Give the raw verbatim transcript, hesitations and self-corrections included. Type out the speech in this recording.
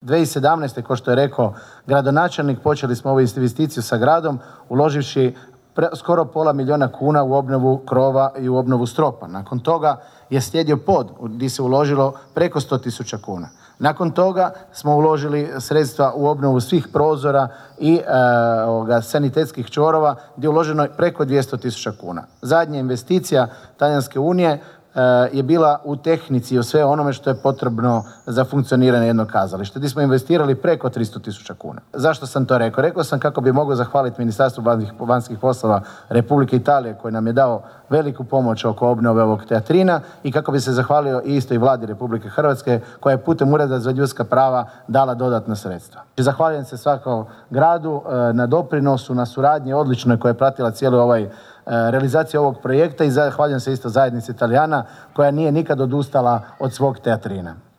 dvije tisuće sedamnaeste. kao što je rekao gradonačelnik, počeli smo ovu investiciju sa gradom uloživši pre, skoro pola milijuna kuna u obnovu krova i u obnovu stropa. Nakon toga je slijedio pod gdje se uložilo preko sto tisuća kuna. Nakon toga smo uložili sredstva u obnovu svih prozora i e, ovoga, sanitetskih čvorova gdje je uloženo preko dvjesto tisuća kuna. Zadnja investicija Talijanske unije je bila u tehnici i u sve onome što je potrebno za funkcioniranje jednog kazališta, gdje smo investirali preko tristo tisuća kuna. Zašto sam to rekao? Rekao sam kako bi mogao zahvaliti Ministarstvu vanjskih poslova Republike Italije koji nam je dao veliku pomoć oko obnove ovog teatrina i kako bi se zahvalio i isto i Vladi Republike Hrvatske koja je putem Ureda za ljudska prava dala dodatna sredstva. Zahvaljujem se svakom gradu na doprinosu, na suradnji odličnoj koja je pratila cijeli ovaj realizaciju ovog projekta i zahvaljujem se isto zajednici Italijana koja nije nikad odustala od svog teatrina.